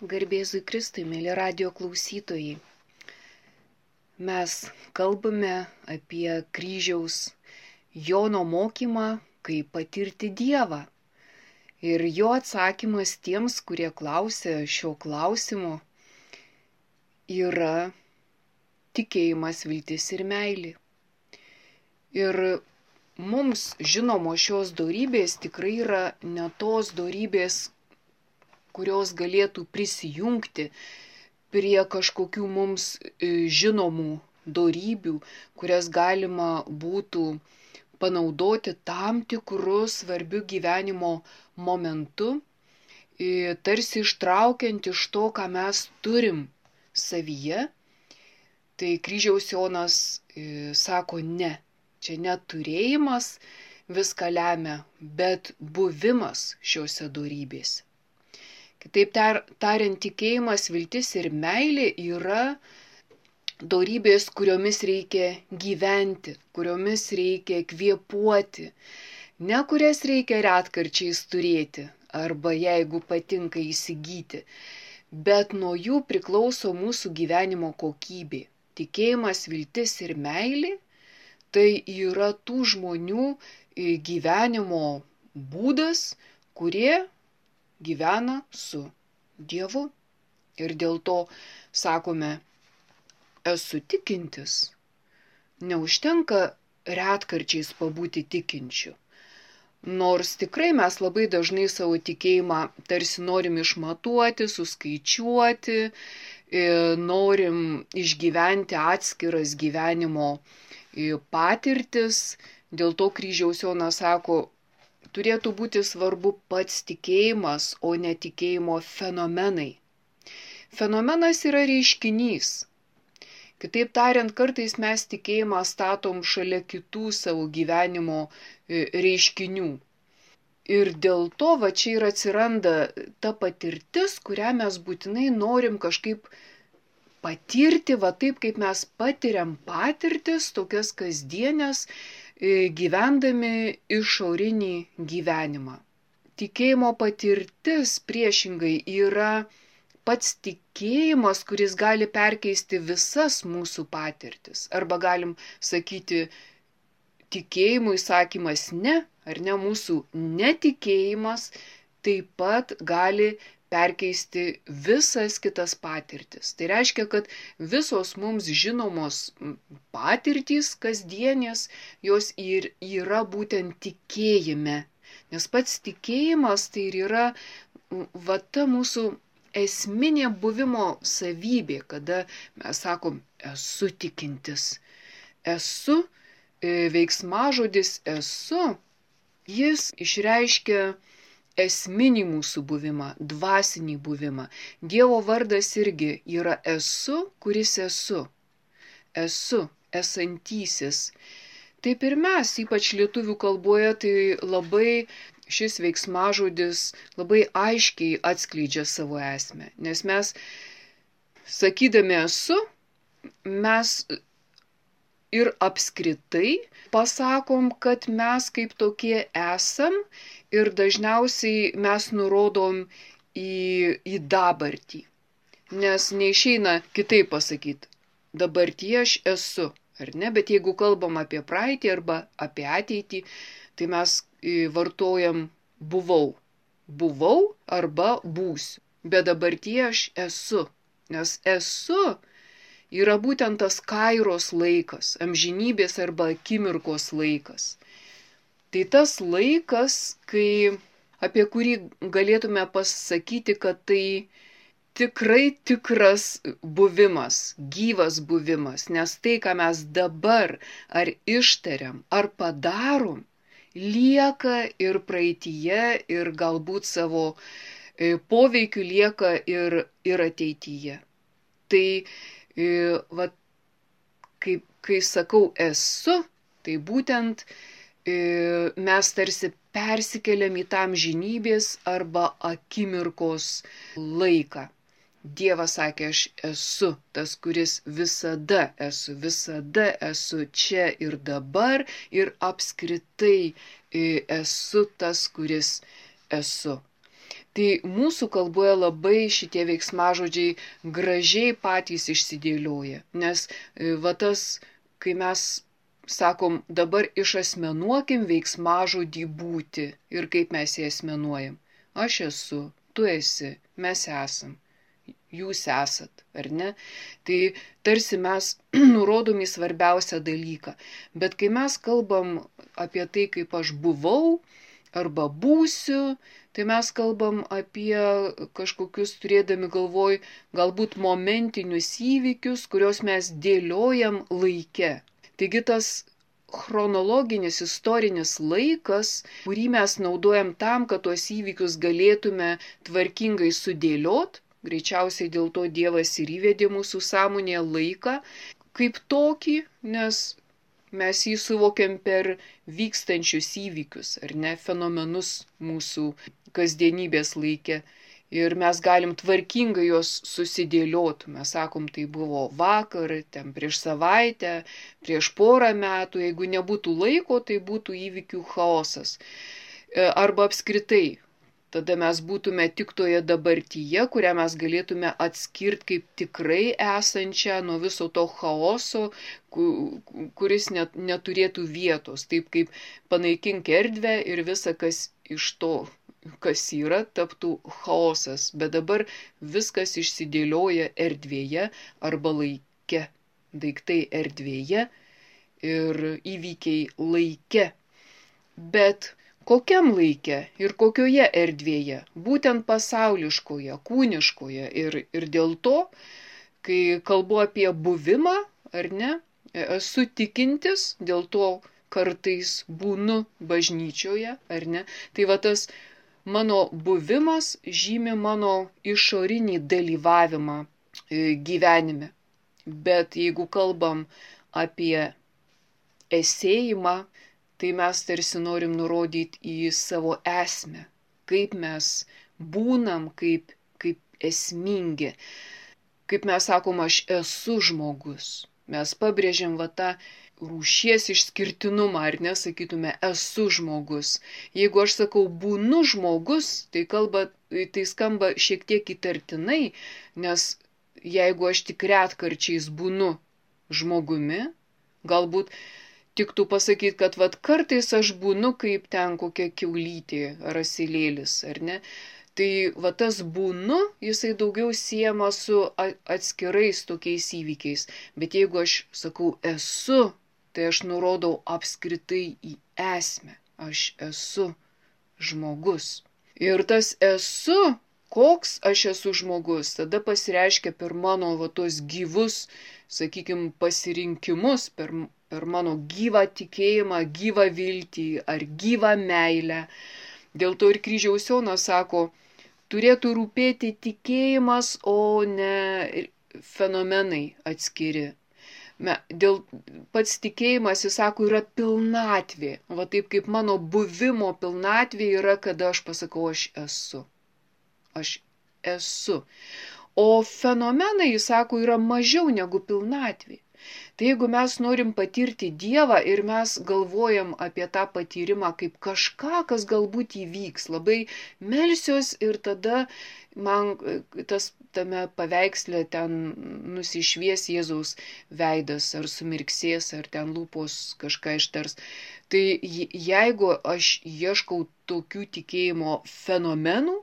Garbėzui Kristui, mėly radijo klausytojai. Mes kalbame apie kryžiaus Jono mokymą, kaip patirti Dievą. Ir jo atsakymas tiems, kurie klausia šio klausimo, yra tikėjimas, viltis ir meilė. Ir mums žinomos šios dorybės tikrai yra ne tos dorybės, kurios galėtų prisijungti prie kažkokių mums žinomų dorybių, kurias galima būtų panaudoti tam tikrų svarbių gyvenimo momentu, tarsi ištraukiant iš to, ką mes turim savyje. Tai kryžiaus Jonas sako ne, čia neturėjimas viską lemia, bet buvimas šiuose dorybėse. Kitaip tariant, tikėjimas, viltis ir meilė yra dorybės, kuriomis reikia gyventi, kuriomis reikia kvėpuoti, ne kurias reikia retkarčiais turėti arba jeigu patinka įsigyti, bet nuo jų priklauso mūsų gyvenimo kokybė. Tikėjimas, viltis ir meilė tai yra tų žmonių gyvenimo būdas, kurie gyvena su Dievu. Ir dėl to sakome, esu tikintis. Neužtenka retkarčiais pabūti tikinčiu. Nors tikrai mes labai dažnai savo tikėjimą tarsi norim išmatuoti, suskaičiuoti, norim išgyventi atskiras gyvenimo patirtis. Dėl to kryžiaus Jonas sako, turėtų būti svarbu pats tikėjimas, o ne tikėjimo fenomenai. Fenomenas yra reiškinys. Kitaip tariant, kartais mes tikėjimą statom šalia kitų savo gyvenimo reiškinių. Ir dėl to va čia ir atsiranda ta patirtis, kurią mes būtinai norim kažkaip patirti, va taip kaip mes patiriam patirtis, tokias kasdienės, gyvendami išorinį gyvenimą. Tikėjimo patirtis priešingai yra pats tikėjimas, kuris gali perkeisti visas mūsų patirtis. Arba galim sakyti, tikėjimui sakymas ne, ar ne, mūsų netikėjimas taip pat gali perkeisti visas kitas patirtis. Tai reiškia, kad visos mums žinomos patirtys kasdienės, jos ir yra būtent tikėjime. Nes pats tikėjimas tai ir yra va ta mūsų esminė buvimo savybė, kada mes sakom, esu tikintis. Esu, veiksmažodis esu, jis išreiškia esminį mūsų buvimą, dvasinį buvimą. Dievo vardas irgi yra esu, kuris esu. Esu, esantysis. Taip ir mes, ypač lietuvių kalboje, tai labai šis veiksmažodis labai aiškiai atskleidžia savo esmę. Nes mes, sakydami esu, mes ir apskritai pasakom, kad mes kaip tokie esam ir dažniausiai mes nurodom į dabartį. Nes neišeina kitaip pasakyti, dabartyje aš esu, ar ne? Bet jeigu kalbam apie praeitį arba apie ateitį, tai mes vartojam buvau. Buvau arba būsiu. Bet dabartyje aš esu. Nes esu yra būtent tas kairos laikas, amžinybės arba akimirkos laikas. Tai tas laikas, apie kurį galėtume pasakyti, kad tai tikrai tikras buvimas, gyvas buvimas, nes tai, ką mes dabar ar ištariam, ar padarom, lieka ir praeityje, ir galbūt savo poveikiu lieka ir ateityje. Tai kai sakau esu, tai būtent mes tarsi persikeliam į tą amžinybės arba akimirkos laiką. Dievas sakė, aš esu tas, kuris visada esu čia ir dabar ir apskritai esu tas, kuris esu. Tai mūsų kalboje labai šitie veiksmažodžiai gražiai patys išsidėlioja, nes va tas, kai mes sakom, dabar išasmenuokim veiksmažodį būti ir kaip mes jį asmenuojam. Aš esu, tu esi, mes esam, jūs esat, ar ne? Tai tarsi mes nurodom į svarbiausią dalyką. Bet kai mes kalbam apie tai, kaip aš buvau arba būsiu, tai mes kalbam apie kažkokius turėdami galvoj galbūt momentinius įvykius, kuriuos mes dėliojam laike. Taigi tas chronologinis istorinis laikas, kurį mes naudojam tam, kad tuos įvykius galėtume tvarkingai sudėliot, greičiausiai dėl to Dievas ir įvedė mūsų sąmonėje laiką kaip tokį, nes mes jį suvokiam per vykstančius įvykius, ar ne, fenomenus mūsų kasdienybės laike. Ir mes galim tvarkingai juos susidėlioti. Mes sakom, tai buvo vakar, ten prieš savaitę, prieš porą metų. Jeigu nebūtų laiko, tai būtų įvykių chaosas. Arba apskritai. Tada mes būtume tik toje dabartyje, kurią mes galėtume atskirti kaip tikrai esančią nuo viso to chaoso, kuris neturėtų vietos. Taip kaip panaikink erdvę ir visa, kas iš to, kas yra, taptų chaosas. Bet dabar viskas išsidėlioja erdvėje arba laike. Daiktai erdvėje ir įvykiai laike. Bet kokiam laike ir kokioje erdvėje? Būtent pasauliškoje, kūniškoje. Ir dėl to, kai kalbu apie buvimą, ar ne, esu tikintis, dėl to kartais būnu bažnyčioje, ar ne. Tai va tas mano buvimas žymi mano išorinį dalyvavimą gyvenime. Bet jeigu kalbam apie esėjimą, tai mes tarsi norim nurodyti į savo esmę, kaip mes būnam, kaip esmingi. Kaip mes sakom, aš esu žmogus. Mes pabrėžiam va tą rūšies išskirtinumą, ar nesakytume, esu žmogus. Jeigu aš sakau, būnu žmogus, tai skamba šiek tiek įtartinai, nes jeigu aš tik retkarčiais būnu žmogumi, galbūt tiktų pasakyti, kad vat kartais aš būnu kaip ten kokia kiaulytė ar asilėlis, ar ne? Tai va tas būnu, jisai daugiau siejama su atskirais tokiais įvykiais. Bet jeigu aš sakau esu, tai aš nurodau apskritai į esmę. Aš esu žmogus. Ir tas esu, koks aš esu žmogus, tada pasireiškia per mano va tos gyvus, sakykime, pasirinkimus, per mano gyvą tikėjimą, gyvą viltį ar gyvą meilę. Dėl to ir Kryžiaus Jonas sako, turėtų rūpėti tikėjimas, o ne fenomenai atskiri. Dėl pats tikėjimas, jis sako, yra pilnatvė. Va taip kaip mano buvimo pilnatvė yra, kada aš pasakau, aš esu. Aš esu. O fenomenai, jis sako, yra mažiau negu pilnatvė. Tai jeigu mes norim patirti Dievą ir mes galvojam apie tą patyrimą kaip kažką, kas galbūt įvyks, labai melsiuos ir tada man tame paveiksle ten nusišvies Jėzaus veidas, ar sumirksės, ar ten lūpos kažką ištars. Tai jeigu aš ieškau tokių tikėjimo fenomenų,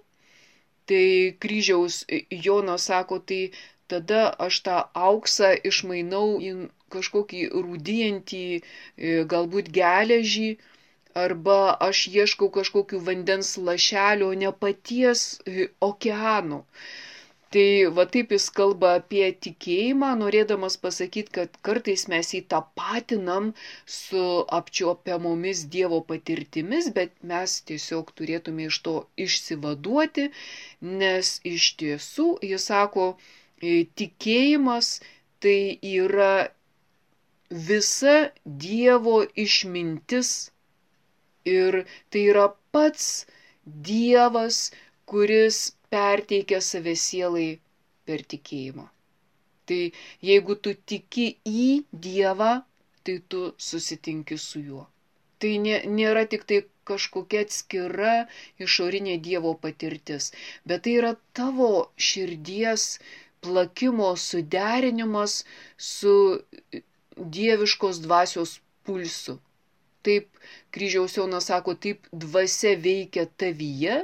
tai Kryžiaus Jonas sako, tai tada aš tą auksą išmainau į kažkokį rūdijantį, galbūt geležį, arba aš ieškau kažkokių vandens lašelio, ne paties okeano. Tai va taip jis kalba apie tikėjimą, norėdamas pasakyti, kad kartais mes jį tapatinam su apčiuopiamomis Dievo patirtimis, bet mes tiesiog turėtume iš to išsivaduoti, nes iš tiesų, jis sako, tikėjimas tai yra visa Dievo išmintis ir tai yra pats Dievas, kuris perteikia save sielai per tikėjimą. Tai jeigu tu tiki į Dievą, tai tu susitinki su juo. Tai nėra tik tai kažkokia atskira išorinė Dievo patirtis, bet tai yra tavo širdies plakimo suderinimas su dieviškos dvasios pulsu. Taip Kryžiaus Jonas sako, taip dvasia veikia tavyje,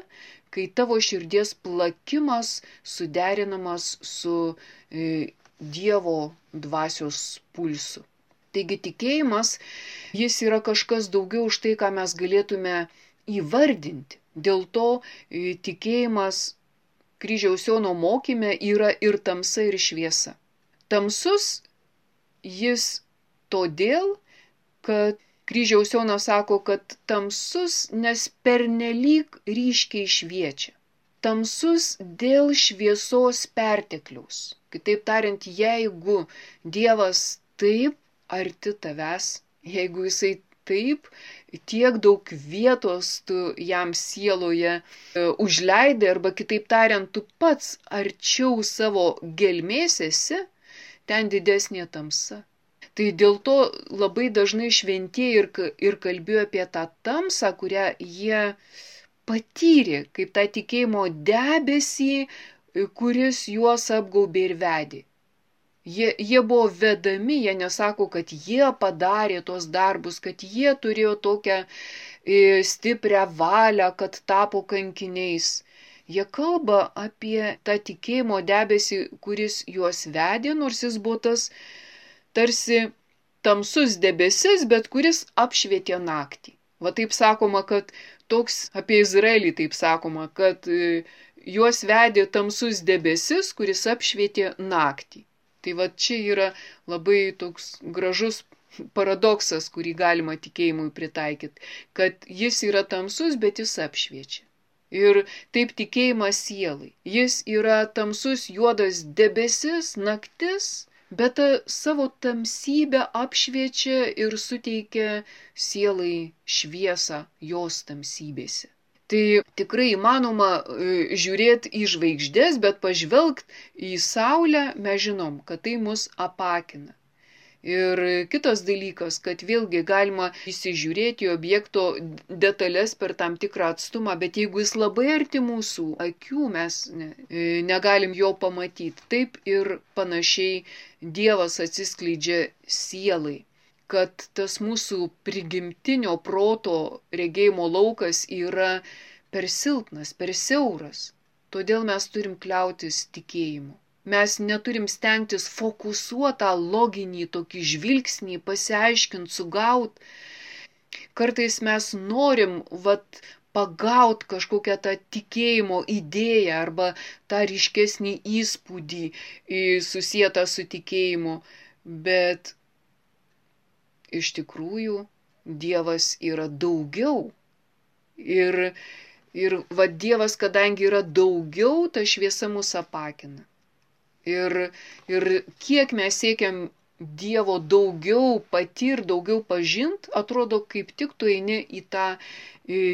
kai tavo širdies plakimas suderinamas su Dievo dvasios pulsu. Taigi tikėjimas, jis yra kažkas daugiau už tai, ką mes galėtume įvardinti. Dėl to tikėjimas Kryžiaus Jono mokyme yra ir tamsa, ir šviesa. Tamsus jis todėl, kad Kryžiaus Jonas sako, kad tamsus, nes pernelyg ryškiai šviečia. Tamsus dėl šviesos pertekliaus. Kitaip tariant, jeigu Dievas taip arti tavęs, jeigu jisai taip tiek daug vietos tu jam sieloje užleidai, arba kitaip tariant, tu pats arčiau savo gelmės esi, ten didesnė tamsa. Tai dėl to labai dažnai šventieji ir kalbėjo apie tą tamsą, kurią jie patyrė, kaip tą tikėjimo debesį, kuris juos apgaubė ir vedė. Jie buvo vedami, jie nesako, kad jie padarė tos darbus, kad jie turėjo tokią stiprią valią, kad tapo kankiniais. Jie kalba apie tą tikėjimo debesį, kuris juos vedė, nors jis buvo tas tarsi tamsus debesis, bet kuris apšvietė naktį. Va taip sakoma, kad toks apie Izraelį taip sakoma, kad juos vedė tamsus debesis, kuris apšvietė naktį. Tai va čia yra labai toks gražus paradoksas, kurį galima tikėjimui pritaikyti, kad jis yra tamsus, bet jis apšviečia. Ir taip tikėjimas sielai. Jis yra tamsus juodas debesis, naktis, bet savo tamsybę apšviečia ir suteikia sielai šviesą jos tamsybėse. Tai tikrai įmanoma žiūrėti į žvaigždės, bet pažvelgt į saulę mes žinom, kad tai mus apakina. Ir kitas dalykas, kad vėlgi galima įsižiūrėti į objekto detalės per tam tikrą atstumą, bet jeigu jis labai arti mūsų akių, mes negalim jo pamatyti. Taip ir panašiai Dievas atsiskleidžia sielai, kad tas mūsų prigimtinio proto regėjimo laukas yra per silpnas, per siauras. Todėl mes turim kliautis tikėjimu. Mes neturim stengtis fokusuotą loginį tokį žvilgsnį, pasiaiškinti, sugaut. Kartais mes norim pagaut kažkokią tą tikėjimo idėją arba tą ryškesnį įspūdį susietą su tikėjimu, bet iš tikrųjų Dievas yra daugiau. Ir Dievas, kadangi yra daugiau, ta šviesa mus apakina. Ir kiek mes siekiam Dievo daugiau patirti, daugiau pažint, atrodo, kaip tik tu eini į tą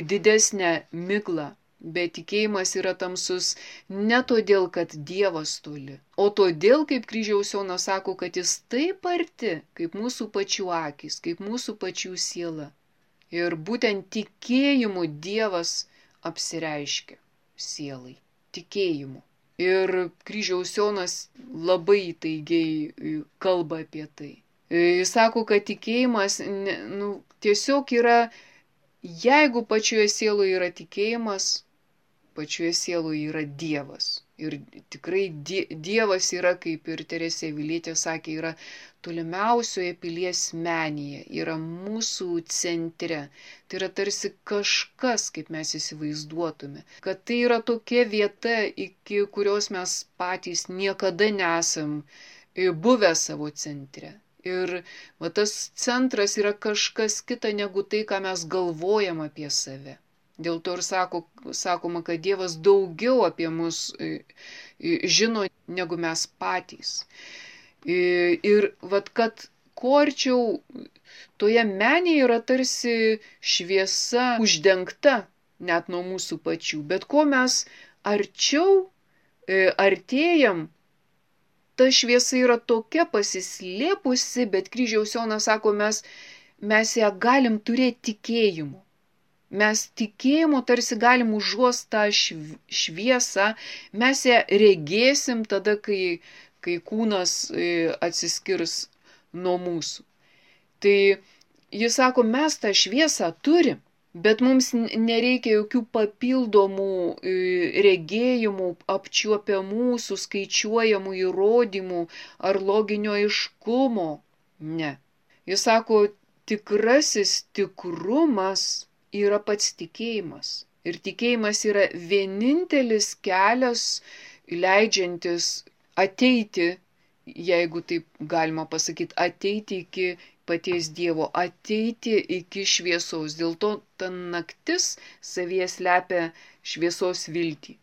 didesnę miglą. Bet tikėjimas yra tamsus ne todėl, kad Dievas toli, o todėl, kaip Kryžiaus Jonas sako, kad jis taip arti, kaip mūsų pačių akys, kaip mūsų pačių siela. Ir būtent tikėjimu Dievas apsireiškia sielai. Tikėjimu. Ir Kryžiaus Jonas labai įtaigiai kalba apie tai. Jis sako, kad tikėjimas tiesiog yra, jeigu pačioje sieloje yra tikėjimas, pačioje sieloje yra Dievas. Ir tikrai Dievas yra, kaip ir Teresė Avilietė sakė, yra tolimiausioje pilies menėje, yra mūsų centre. Tai yra tarsi kažkas, kaip mes įsivaizduotume. Kad tai yra tokia vieta, iki kurios mes patys niekada nesam buvę savo centre. Ir tas centras yra kažkas kita negu tai, ką mes galvojam apie save. Dėl to ir sakoma, kad Dievas daugiau apie mus žino negu mes patys. Ir kad kuo arčiau toje menėje yra tarsi šviesa uždengta net nuo mūsų pačių, bet kuo mes arčiau artėjam, ta šviesa yra tokia pasislėpusi, bet Kryžiaus Jonas sako, mes ją galim turėti tikėjimu. Mes tikėjimu tarsi galim užuost tą šviesą, mes ją regėsim tada, kai kūnas atsiskirs nuo mūsų. Tai jis sako, mes tą šviesą turim, bet mums nereikia jokių papildomų regėjimų, apčiuopiamų, suskaičiuojamų įrodymų ar loginio aiškumo. Ne. Jis sako, tikrasis tikrumas yra pats tikėjimas. Ir tikėjimas yra vienintelis kelias leidžiantis ateiti, jeigu taip galima pasakyti, ateiti iki paties Dievo, ateiti iki šviesos. Dėl to ta naktis savyje slepia šviesos viltį.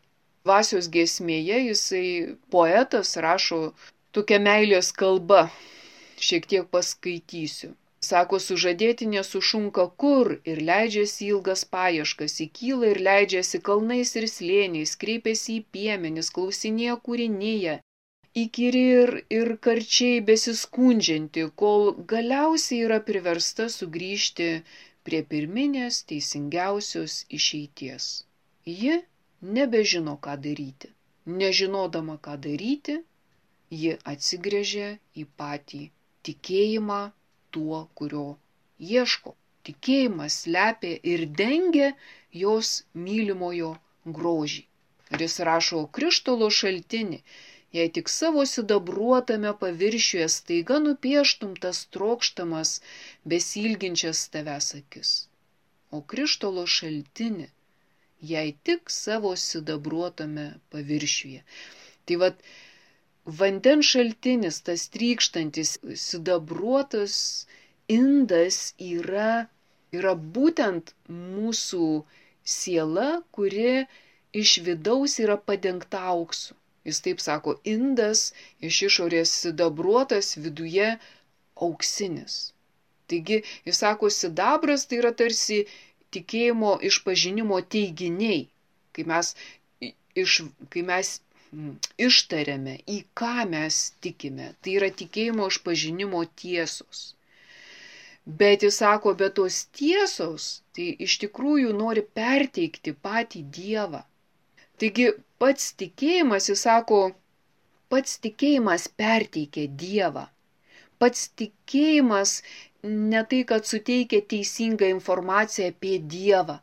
Dvasios giesmėje jisai poetas rašo tokią meilės kalbą, šiek tiek paskaitysiu. Sako, sužadėtinė sušunka kur ir leidžiasi ilgas paieškas, įkyla ir leidžiasi kalnais ir slėniais, kreipiasi į piemenis, klausinėja kūrinyje, įkyri ir karčiai besiskundžianti, kol galiausiai yra priversta sugrįžti prie pirminės teisingiausios išeities. Ji nebežino, ką daryti. Nežinodama, ką daryti, ji atsigręžia į patį tikėjimą tuo, kurio ieško. Tikėjimas slepia ir dengia jos mylimojo grožį. Ir jis rašo, krištolo šaltinį, jei tik savo sidabruotame paviršiuje staiga nupieštum tas trokštamas, besilginčias tavęs akis. O krištolo šaltinį, jei tik savo sidabruotame paviršiuje. Tai vat, vandens šaltinis, tas trykštantis, sidabruotas indas yra būtent mūsų siela, kuri iš vidaus yra padengta auksu. Jis taip sako, indas iš išorės sidabruotas, viduje auksinis. Taigi, jis sako, sidabras tai yra tarsi tikėjimo išpažinimo teiginiai, kai mes ištariame, į ką mes tikime. Tai yra tikėjimo išpažinimo tiesos. Bet jis sako, bet tos tiesos, tai iš tikrųjų nori perteikti patį Dievą. Taigi pats tikėjimas, jis sako, pats tikėjimas perteikia Dievą. Pats tikėjimas ne tai, kad suteikia teisingą informaciją apie Dievą.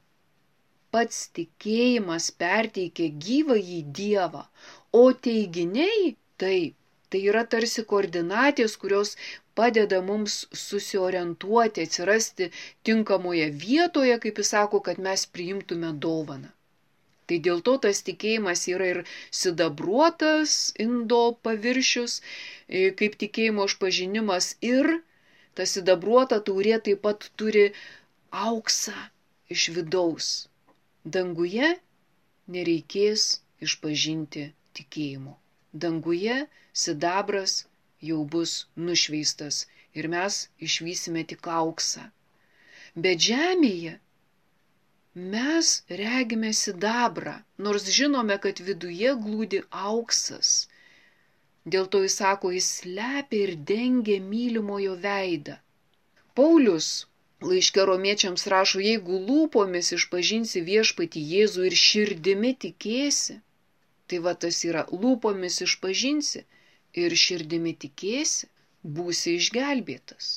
Pats tikėjimas perteikia gyvąjį Dievą, o teiginiai taip, tai yra tarsi koordinatės, kurios padeda mums susiorientuoti, atsirasti tinkamoje vietoje, kaip jis sako, kad mes priimtume dovaną. Tai dėl to tas tikėjimas yra ir sidabruotas indo paviršius, kaip tikėjimo išpažinimas, ir ta sidabruota taurė taip pat turi auksą iš vidaus. Danguje nereikės išpažinti tikėjimo. Danguje sidabras jau bus nušveistas ir mes išvysime tik auksą. Bet žemėje mes regime sidabrą, nors žinome, kad viduje glūdi auksas. Dėl to jis sako, jis slepia ir dengia mylimojo veidą. Paulius laiške romiečiams rašo, jeigu lūpomis išpažinsi viešpatį Jėzų ir širdimi tikėsi, tai va tas yra, lūpomis išpažinsi ir širdimi tikėsi, būsi išgelbėtas.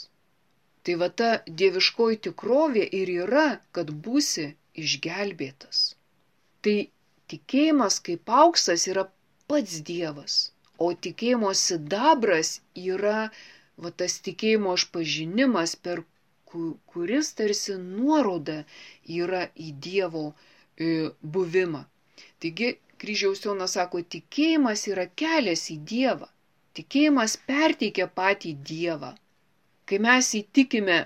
Tai va ta dieviškoji tikrovė ir yra, kad būsi išgelbėtas. Tai tikėjimas kaip auksas yra pats Dievas, o tikėjimo sidabras yra va tas tikėjimo išpažinimas, per kuris tarsi nuoroda yra į Dievo buvimą. Taigi kryžiaus Jonas sako, tikėjimas yra kelias į Dievą. Tikėjimas perteikia patį Dievą. Kai mes įtikime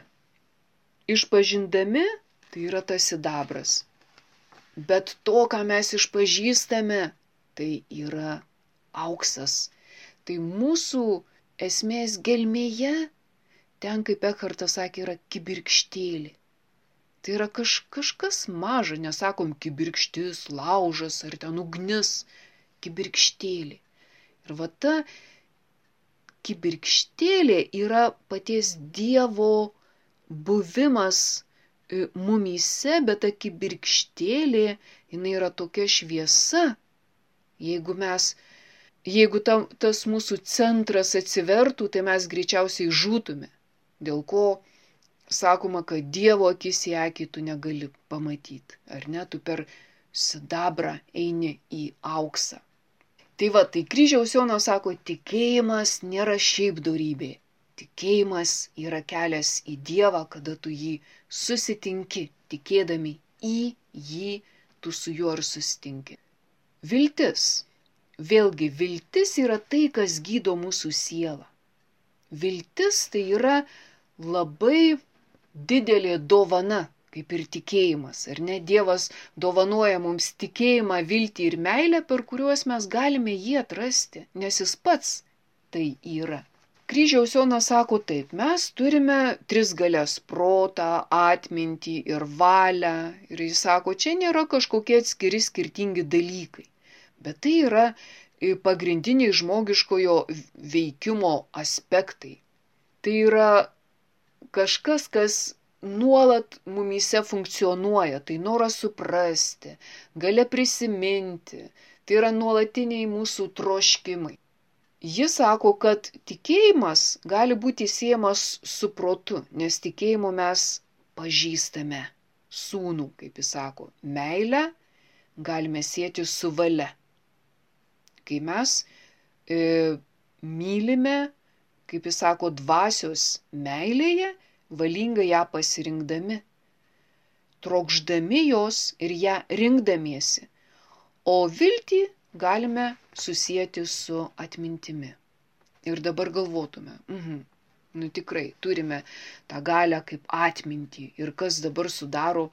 išpažindami, tai yra tas sidabras. Bet to, ką mes išpažįstame, tai yra auksas. Tai mūsų esmės gelmėje, ten, kaip Ekhartas sakė, yra kibirkštėlė. Tai yra kažkas maža, nesakom kibirkštis, laužas ar ten ugnis, kibirkštėlė. Ir va ta kibirkštėlė yra paties Dievo buvimas mumyse, bet ta kibirkštėlė, jinai yra tokia šviesa. Jeigu tas mūsų centras atsivertų, tai mes greičiausiai žūtume. Dėl ko sakoma, kad Dievo akis į akį tu negali pamatyti. Ar ne? Tu per sidabrą eini į auksą. Tai kryžiaus Jonas sako, tikėjimas nėra šiaip dorybė. Tikėjimas yra kelias į Dievą, kada tu jį susitinki, tikėdami į jį, tu su juo ir susitinki. Viltis. Vėlgi, viltis yra tai, kas gydo mūsų sielą. Viltis tai yra labai didelė dovana, kaip ir tikėjimas, ar ne? Dievas dovanoja mums tikėjimą, viltį ir meilę, per kuriuos mes galime jį atrasti, nes jis pats tai yra. Kryžiaus Jonas sako taip, mes turime tris galias - protą, atmintį ir valią. Ir jis sako, čia nėra kažkokie atskiri skirtingi dalykai. Bet tai yra pagrindiniai žmogiškojo veikimo aspektai. Tai yra kažkas, kas nuolat mumyse funkcionuoja. Tai noras suprasti, galia prisiminti. Tai yra nuolatiniai mūsų troškimai. Jis sako, kad tikėjimas gali būti siejamas su protu, nes tikėjimu mes pažįstame sūnų, kaip jis sako. Meilę galime sieti su valia. Kai mes mylime, kaip jis sako, dvasios meilėje, valingai ją pasirinkdami, trokšdami jos ir ją rinkdamiesi, o viltį galime susijęti su atmintimi. Ir dabar galvotume, tikrai turime tą galią kaip atmintį ir kas dabar sudaro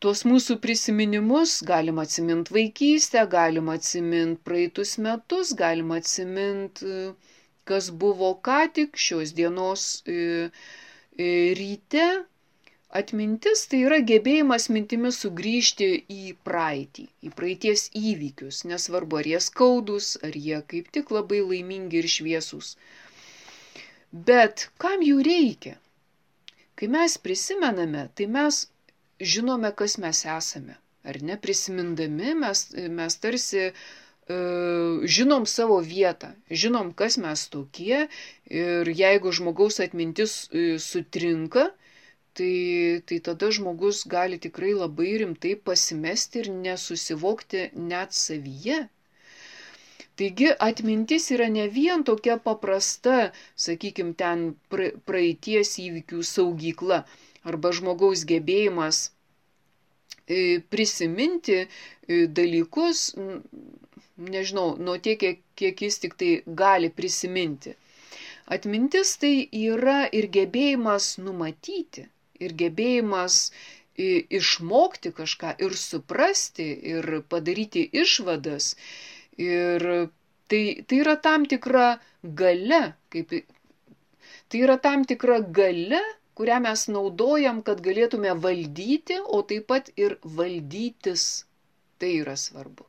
tuos mūsų prisiminimus, galima atsiminti vaikystę, galima atsiminti praeitus metus, galima atsiminti, kas buvo ką tik šios dienos ryte. Atmintis tai yra gebėjimas mintimis sugrįžti į praeitį, į praeities įvykius, nesvarbu ar jie skaudus, ar jie kaip tik labai laimingi ir šviesūs. Bet kam jų reikia? Kai mes prisimename, tai mes žinome, kas mes esame. Ar ne? Prisimindami mes tarsi žinom savo vietą, žinom, kas mes tokie ir jeigu žmogaus atmintis sutrinka, tai tada žmogus gali tikrai labai rimtai pasimesti ir nesusivokti net savyje. Taigi atmintis yra ne vien tokia paprasta, sakykime, ten praeities įvykių saugykla arba žmogaus gebėjimas prisiminti dalykus, nežinau, nuo tiek, kiek jis tik tai gali prisiminti. Atmintis tai yra ir gebėjimas numatyti, ir gebėjimas išmokti kažką, ir suprasti, ir padaryti išvadas. Ir tai yra tam tikra galia, tai yra tam tikra galia, kurią mes naudojam, kad galėtume valdyti, o taip pat ir valdytis. Tai yra svarbu.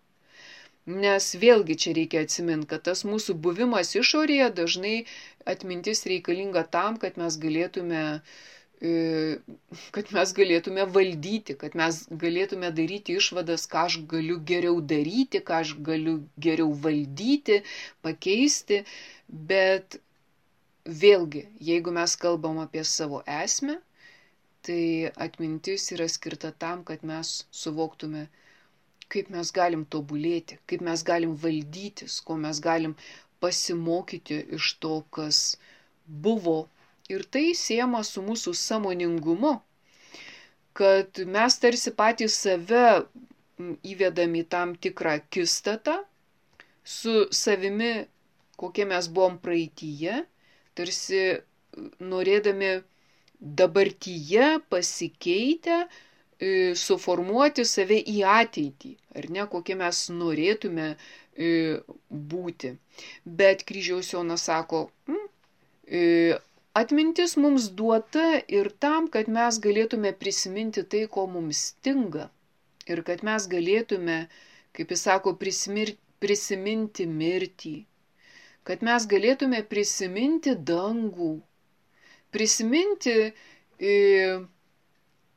Nes vėlgi čia reikia atsiminti, kad tas mūsų buvimas išorėje dažnai atmintis reikalinga tam, kad mes galėtume valdyti, kad mes galėtume daryti išvadas, ką aš galiu geriau daryti, ką aš galiu geriau valdyti, pakeisti, bet vėlgi, jeigu mes kalbam apie savo esmę, tai atmintis yra skirta tam, kad mes suvoktume, kaip mes galim tobulėti, kaip mes galim valdytis, ko mes galim pasimokyti iš to, kas buvo. Ir tai siejama su mūsų sąmoningumu, kad mes tarsi patys save įvedam į tam tikrą akistatą su savimi, kokie mes buvom praeityje, tarsi norėdami dabartyje pasikeitę suformuoti save į ateitį, ar ne, kokie mes norėtume būti. Bet kryžiaus Jonas sako, atmintis mums duota ir tam, kad mes galėtume prisiminti tai, ko mums stinga. Ir kad mes galėtume, kaip jis sako, prisiminti mirtį. Kad mes galėtume prisiminti dangų, prisiminti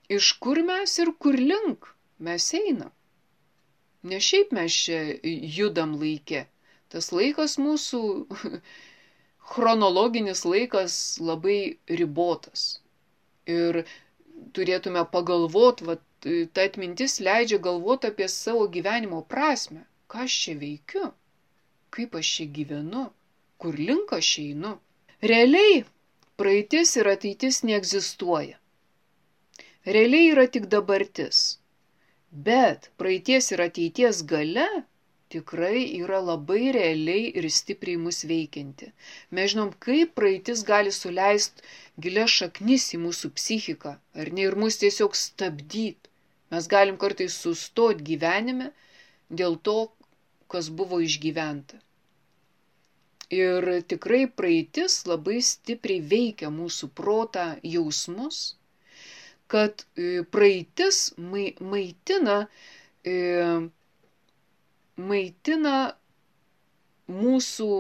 iš kur mes ir kur link mes einam. Ne šiaip mes čia judam laike. Tas laikas mūsų, chronologinis laikas labai ribotas. Ir turėtume pagalvoti, ta atmintis leidžia galvoti apie savo gyvenimo prasme. Ką aš čia veikiu? Kaip aš čia gyvenu? Kur link aš einu? Realiai praeitis ir ateitis neegzistuoja. Realiai yra tik dabartis. Bet praeities ir ateities galia tikrai yra labai realiai ir stipriai mus veikianti. Mes žinom, kaip praeitis gali suleisti gilias šaknis į mūsų psichiką, ar ne, ir mus tiesiog stabdyti. Mes galim kartais sustoti gyvenime dėl to, kas buvo išgyventa. Ir tikrai praeitis labai stipriai veikia mūsų protą, jausmus, kad praeitis maitina mūsų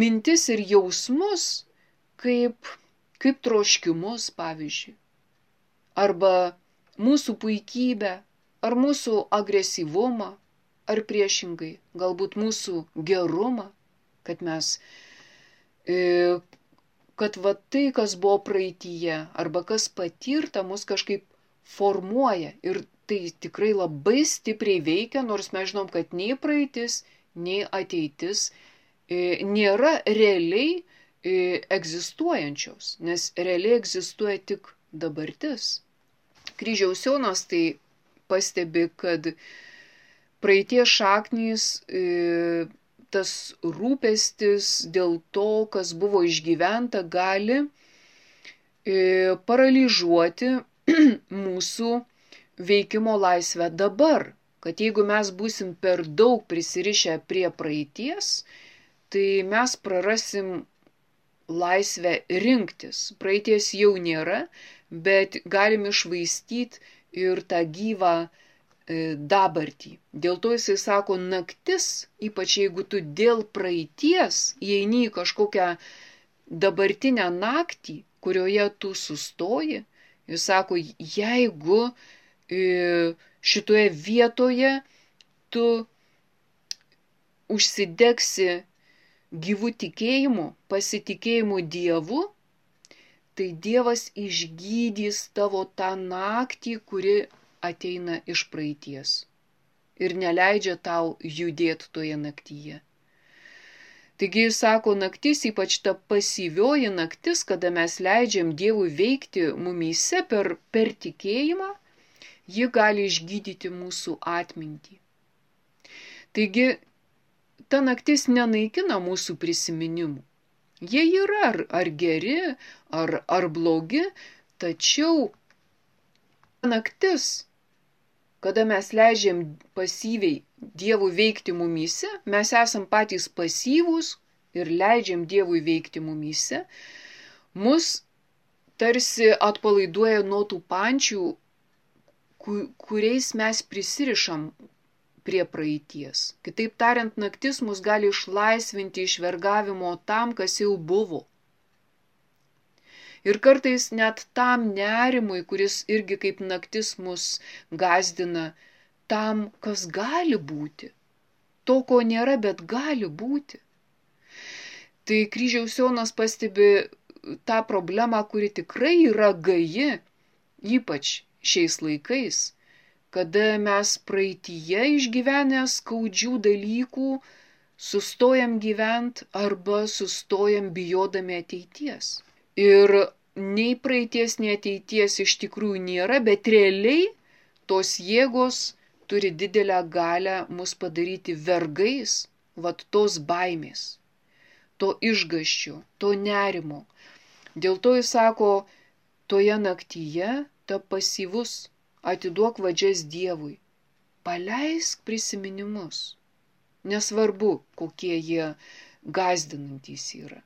mintis ir jausmus kaip troškimus, pavyzdžiui, arba mūsų puikybę, ar mūsų agresyvumą, ar priešingai, galbūt mūsų gerumą, kad mes kad tai, kas buvo praeityje, arba kas patirta, mus kažkaip formuoja. Ir tai tikrai labai stipriai veikia, nors mes žinom, kad nei praeitis, nei ateitis nėra realiai egzistuojančios, nes realiai egzistuoja tik dabartis. Kryžiaus Jonas tai pastebi, kad praeities šaknys, tas rūpestis dėl to, kas buvo išgyventa, gali paralyžiuoti mūsų veikimo laisvę dabar. Kad jeigu mes būsim per daug prisirišę prie praeities, tai mes prarasim laisvę rinktis. Praeities jau nėra, bet galim iššvaistyti ir tą gyvą dabartį. Dėl to jisai sako, naktis, ypač jeigu tu dėl praeities įeini į kažkokią dabartinę naktį, kurioje tu sustoji, jis sako, jeigu šitoje vietoje tu užsidegsi gyvų tikėjimu, pasitikėjimu Dievu, tai Dievas išgydys tavo tą naktį, kuri ateina iš praeities ir neleidžia tau judėti toje naktyje. Taigi jis sako, naktis, ypač ta pasyvioji naktis, kada mes leidžiam Dievui veikti mumyse per tikėjimą, ji gali išgydyti mūsų atmintį. Taigi ta naktis nenaikina mūsų prisiminimų. Jie yra ar geri, ar blogi, tačiau naktis, kada mes leidžiam pasyviai Dievui veikti mumyse, mes esam patys pasyvūs ir leidžiam Dievui veikti mumyse, mus tarsi atpalaiduoja nuo tų pančių, kuriais mes prisirišam prie praeities. Kitaip tariant, naktis mus gali išlaisvinti iš vergavimo tam, kas jau buvo. Ir kartais net tam nerimui, kuris irgi kaip naktis mus gazdina, tam, kas gali būti. To, ko nėra, bet gali būti. Tai Kryžiaus Jonas pastebi tą problemą, kuri tikrai yra gaji, ypač šiais laikais, kada mes praeityje išgyvenę skaudžių dalykų sustojam gyvent arba sustojam bijodami ateities. Ir nei praeities, nei ateities iš tikrųjų nėra, bet realiai tos jėgos turi didelę galią mus padaryti vergais, tos baimės, to išgąsčio, to nerimo. Dėl to jis sako, toje naktyje ta pasyvus, atiduok vadžias Dievui, paleisk prisiminimus, nesvarbu, kokie jie gąsdinantys yra.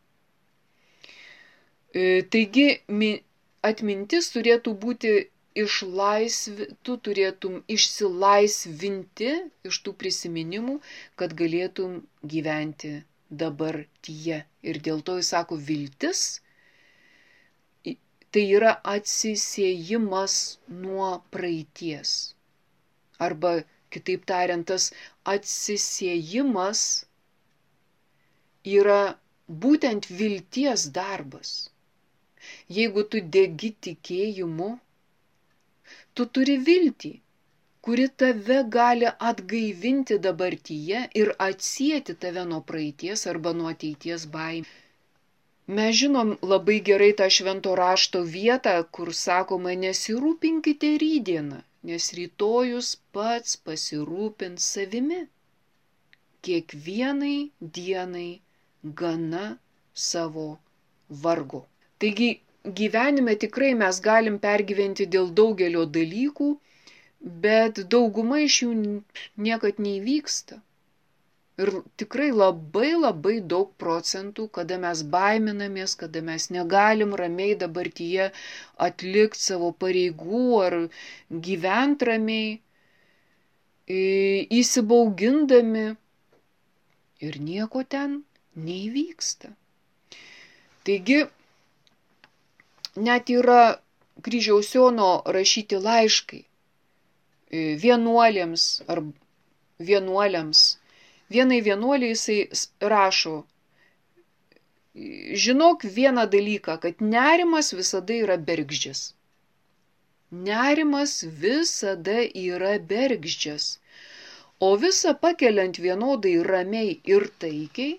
Taigi atmintis turėtų būti tu turėtum išsilaisvinti iš tų prisiminimų, kad galėtum gyventi dabartyje. Ir dėl to jis sako, viltis tai yra atsisiejimas nuo praeities. Arba, kitaip tariant, tas atsisiejimas yra būtent vilties darbas. Jeigu tu degi tikėjimu, tu turi viltį, kuri tave gali atgaivinti dabartyje ir atsieti tave nuo praeities arba nuo ateities baimės. Mes žinom labai gerai tą švento rašto vietą, kur sakoma, nesirūpinkite rytdieną, nes rytojus pats pasirūpins savimi. Kiekvienai dienai gana savo vargo. Taigi gyvenime tikrai mes galim pergyventi dėl daugelio dalykų, bet dauguma iš jų niekad neįvyksta. Ir tikrai labai daug procentų, kada mes baiminamės, kada mes negalim ramiai dabartyje atlikti savo pareigų ar gyventi ramiai, įsibaugindami ir nieko ten neįvyksta. Taigi, net yra Kryžiaus Jono rašyti laiškai vienuoliams ar vienuoliams. Vienai vienuoliai jisai rašo, žinok vieną dalyką, kad nerimas visada yra bergždžias. Nerimas visada yra bergždžias. O visą pakeliant vienodai ramiai ir taikiai,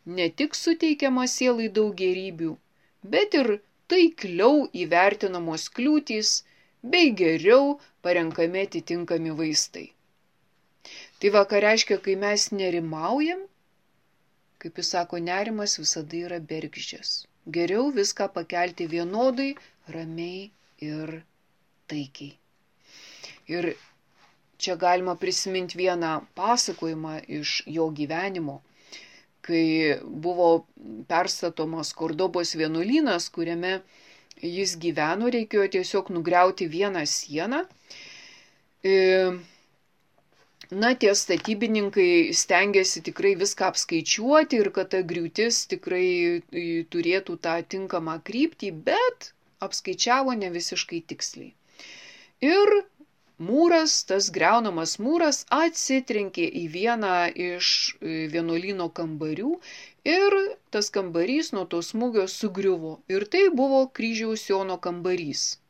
ne tik suteikiama sielai daug gėrybių, bet ir taikliau įvertinamos kliūtys bei geriau parenkami atitinkami vaistai. Tai va, ką reiškia, kai mes nerimaujam, kaip jis sako, nerimas visada yra bergždžias. Geriau viską pakelti vienodai, ramiai ir taikiai. Ir čia galima prisiminti vieną pasakojimą iš jo gyvenimo, kai buvo perstatomas Kordobos vienuolynas, kuriame jis gyveno, reikėjo tiesiog nugriauti vieną sieną. Na, tie statybininkai stengiasi tikrai viską apskaičiuoti ir kad ta griūtis tikrai turėtų tą tinkamą kryptį, bet apskaičiavo ne visiškai tiksliai. Ir mūras, tas griaunamas mūras atsitrenkė į vieną iš vienuolyno kambarių ir tas kambarys nuo to smūgio sugriuvo. Ir tai buvo Kryžiaus Jono kambarys.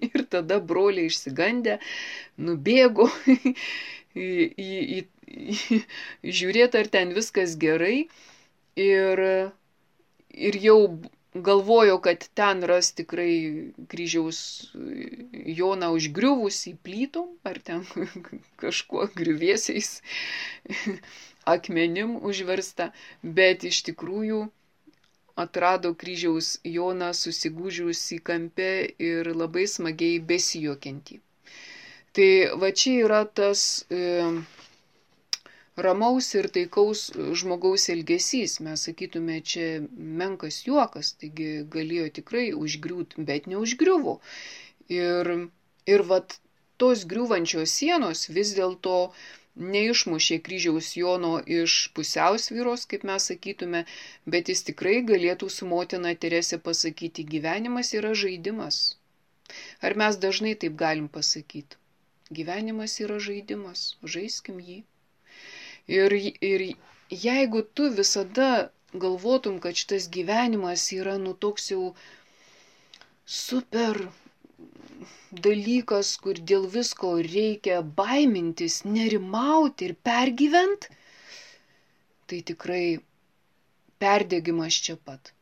Ir tada broliai išsigandę nubėgo žiūrėti, ar ten viskas gerai. Ir jau galvojo, kad ten ras tikrai Kryžiaus Joną užgriuvusį plytom, ar ten kažkuo griuvėsiais akmenim užversta, bet iš tikrųjų atrado Kryžiaus Joną susigūžiusį kampe ir labai smagiai besijuokiantį. Tai va čia yra tas ramaus ir taikaus žmogaus elgesys. Mes sakytume, čia menkas juokas, taigi galėjo tikrai užgriūti, bet neužgriuvo. Ir vat tos griūvančios sienos vis dėlto neišmušė Kryžiaus Jono iš pusiausvyros, kaip mes sakytume, bet jis tikrai galėtų su motina Terese pasakyti, gyvenimas yra žaidimas. Ar mes dažnai taip galim pasakyti? Gyvenimas yra žaidimas, žaiskim jį. Ir jeigu tu visada galvotum, kad šitas gyvenimas yra toks jau super dalykas, kur dėl visko reikia baimintis, nerimauti ir pergyvent, tai tikrai perdegimas čia pat.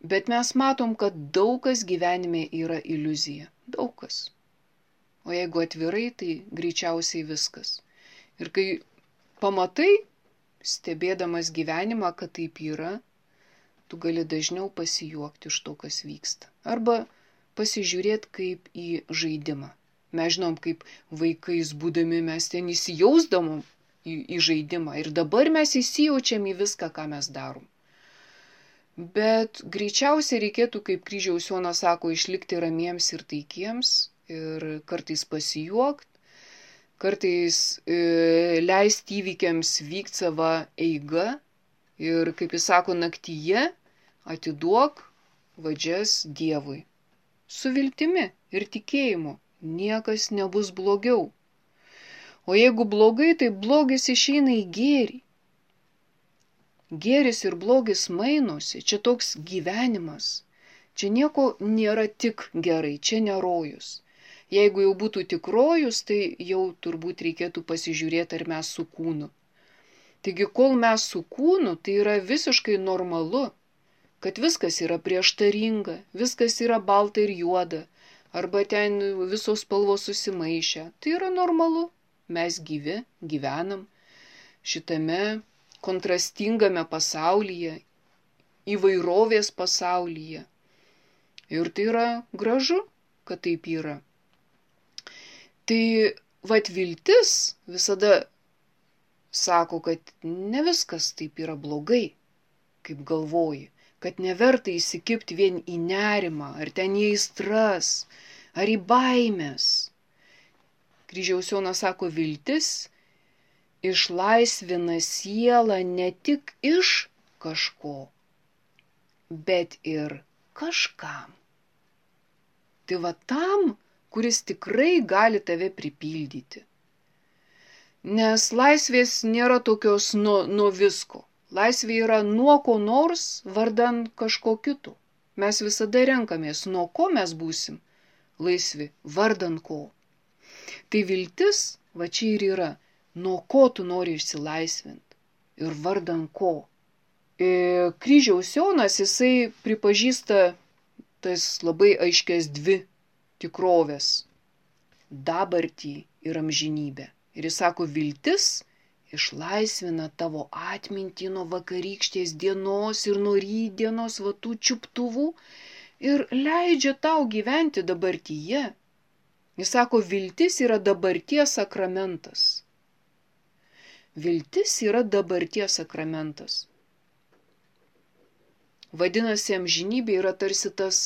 Bet mes matom, kad daug kas gyvenime yra iliuzija. Daug kas. O jeigu atvirai, tai greičiausiai viskas. Ir kai pamatai, stebėdamas gyvenimą, kad taip yra, tu gali dažniau pasijuokti iš to, kas vyksta. Arba pasižiūrėti kaip į žaidimą. Mes žinom, kaip vaikais būdami mes ten įsijausdamom į žaidimą. Ir dabar mes įsijaučiam į viską, ką mes darom. Bet greičiausiai reikėtų, kaip Kryžiaus Jonas sako, išlikti ramiems ir taikiems. Ir kartais pasijuokti, kartais leisti įvykiams vykti savo eigą ir, kaip jis sako, naktyje atiduok vadžias Dievui. Su viltimi ir tikėjimu niekas nebus blogiau. O jeigu blogai, tai blogis išeina į gėrį. Gėris ir blogis mainosi, čia toks gyvenimas. Čia nieko nėra tik gerai, čia nerojus. Jeigu jau būtų tik rojus, tai jau turbūt reikėtų pasižiūrėti, ar mes su kūnu. Taigi, kol mes su kūnu, tai yra visiškai normalu, kad viskas yra prieštaringa, viskas yra balta ir juoda, arba ten visos spalvos susimaišę. Tai yra normalu. Mes gyvi, gyvenam šitame kontrastingame pasaulyje, įvairovės pasaulyje. Ir tai yra gražu, kad taip yra. Tai viltis visada sako, kad ne viskas taip yra blogai, kaip galvoji, kad neverta įsikibti vien į nerimą, ar ten į aistras, ar į baimės. Kryžiaus Jonas sako, viltis išlaisvina sielą ne tik iš kažko, bet ir kažkam. Tai tam, kuris tikrai gali tave pripildyti. Nes laisvės nėra tokios nuo visko. Laisvė yra nuo ko nors vardan kažko kito. Mes visada renkamės, nuo ko mes būsim laisvi, vardan ko. Tai viltis, čia ir yra, nuo ko tu nori išsilaisvinti ir vardan ko. Kryžiaus Jonas, jisai pripažįsta tas labai aiškias dvi tikrovės - dabartį ir amžinybę. Ir jis sako, viltis išlaisvina tavo atmintį nuo vakarykštės dienos ir nuo rytdienos tų čiuptuvų ir leidžia tau gyventi dabartyje. Jis sako, viltis yra dabarties sakramentas. Viltis yra dabarties sakramentas. Vadinasi, amžinybė yra tarsi tas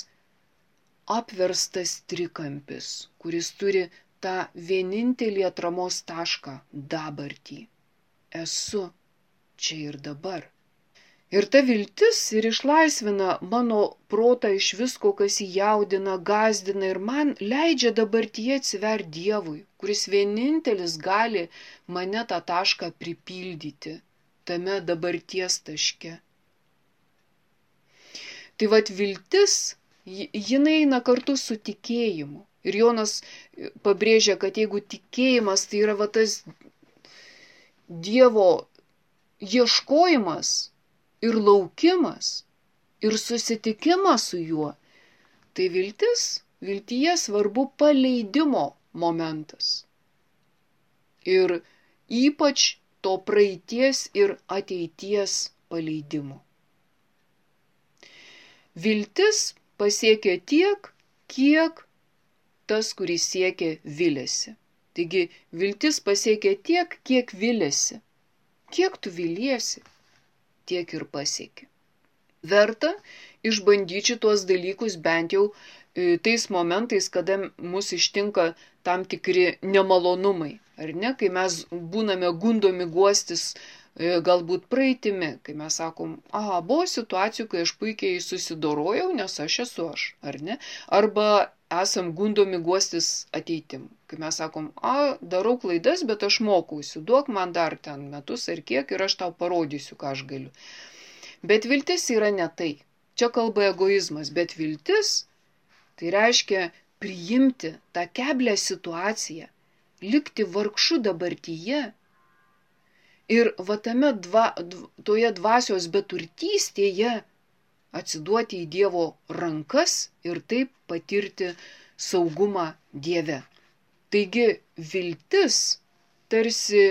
apverstas trikampis, kuris turi tą vienintelį atramos tašką - dabartį. Esu čia ir dabar. Ir ta viltis ir išlaisvina mano protą iš visko, kas jį jaudina, gąsdina ir man leidžia dabartyje atsiverti Dievui, kuris vienintelis gali mane tą tašką pripildyti tame dabarties taške. Tai viltis, jinai eina kartu su tikėjimu. Ir Jonas pabrėžia, kad jeigu tikėjimas tai yra tas Dievo ieškojimas, ir laukimas, ir susitikimas su juo, tai viltyje svarbu paleidimo momentas. Ir ypač to praeities ir ateities paleidimo. Viltis pasiekia tiek, kiek tas, kuris siekia, viliasi. Taigi, viltis pasiekia tiek, kiek viliasi. Kiek tu viliesi, tiek ir pasieki. Verta išbandyti tuos dalykus bent jau tais momentais, kada mus ištinka tam tikri nemalonumai, ar ne, kai mes būname gundomi guostis galbūt praeitimi, kai mes sakom, buvo situacijų, kai aš puikiai susidorojau, nes aš esu aš, ar ne, arba esam gundomi guostis ateitim, kai mes sakom, darau klaidas, bet aš mokausi, duok man dar ten metus ar kiek ir aš tau parodysiu, ką aš galiu. Bet viltis yra ne tai. Čia kalba egoizmas, bet viltis tai reiškia priimti tą keblią situaciją, likti vargšu dabartyje ir toje dvasios beturtystėje atsiduoti į Dievo rankas ir taip patirti saugumą Dieve. Taigi viltis tarsi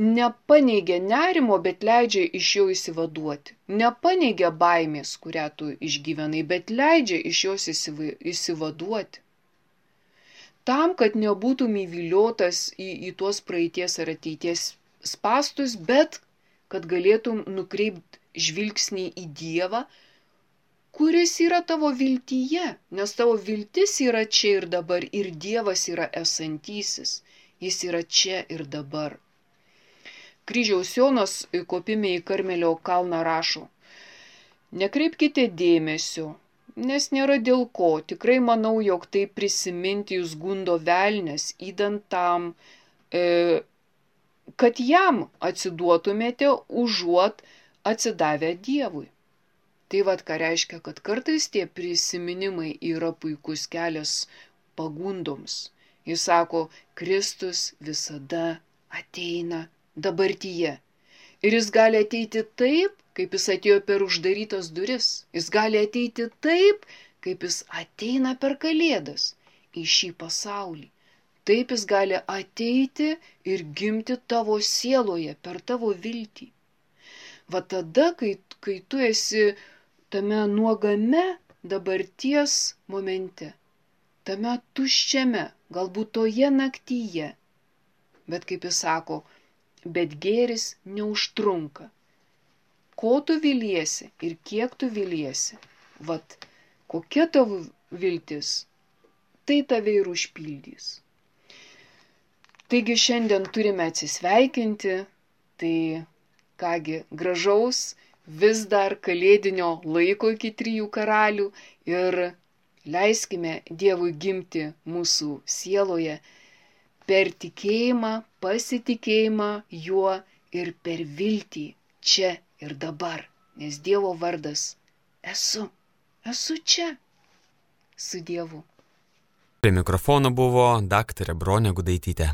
nepaneigia nerimo, bet leidžia iš jo išsivaduoti. Nepaneigia baimės, kurią tu išgyvenai, bet leidžia iš jos išsivaduoti. Tam, kad nebūtum įviliotas į tuos praeities ar ateities spastus, bet kad galėtum nukreipti žvilgsnį į Dievą, kuris yra tavo viltyje, nes tavo viltis yra čia ir dabar ir Dievas yra esantysis, jis yra čia ir dabar. Kryžiaus Jonas kopime į Karmelio kalną rašo, nekreipkite dėmesio nes nėra dėl ko. Tikrai manau, jog tai prisiminti jūs gundo velnias, įdant tam, kad jam atsiduotumėte užuot atsidavę Dievui. Tai vad ką reiškia, kad kartais tie prisiminimai yra puikus kelias pagundoms. Jis sako, Kristus visada ateina dabartyje. Ir jis gali ateiti taip, kaip jis atėjo per uždarytas duris. Jis gali ateiti taip, kaip jis ateina per Kalėdas į šį pasaulį. Taip jis gali ateiti ir gimti tavo sieloje per tavo viltį. Va tada, kai tu esi tame nuogame dabarties momente, tame tuščiame, galbūt toje naktyje, bet kaip jis sako, bet gėris neužtrunka. Ko tu viliesi ir kiek tu viliesi, vat kokia tavo viltis, tai tave ir užpildys. Taigi šiandien turime atsisveikinti, tai kągi gražaus, vis dar kalėdinio laiko iki 3 karalių ir leiskime Dievui gimti mūsų sieloje per tikėjimą, pasitikėjimą juo ir per viltį čia ir dabar, nes Dievo vardas esu čia su Dievu. Prie mikrofono buvo daktarė Bronė Gudaitytė.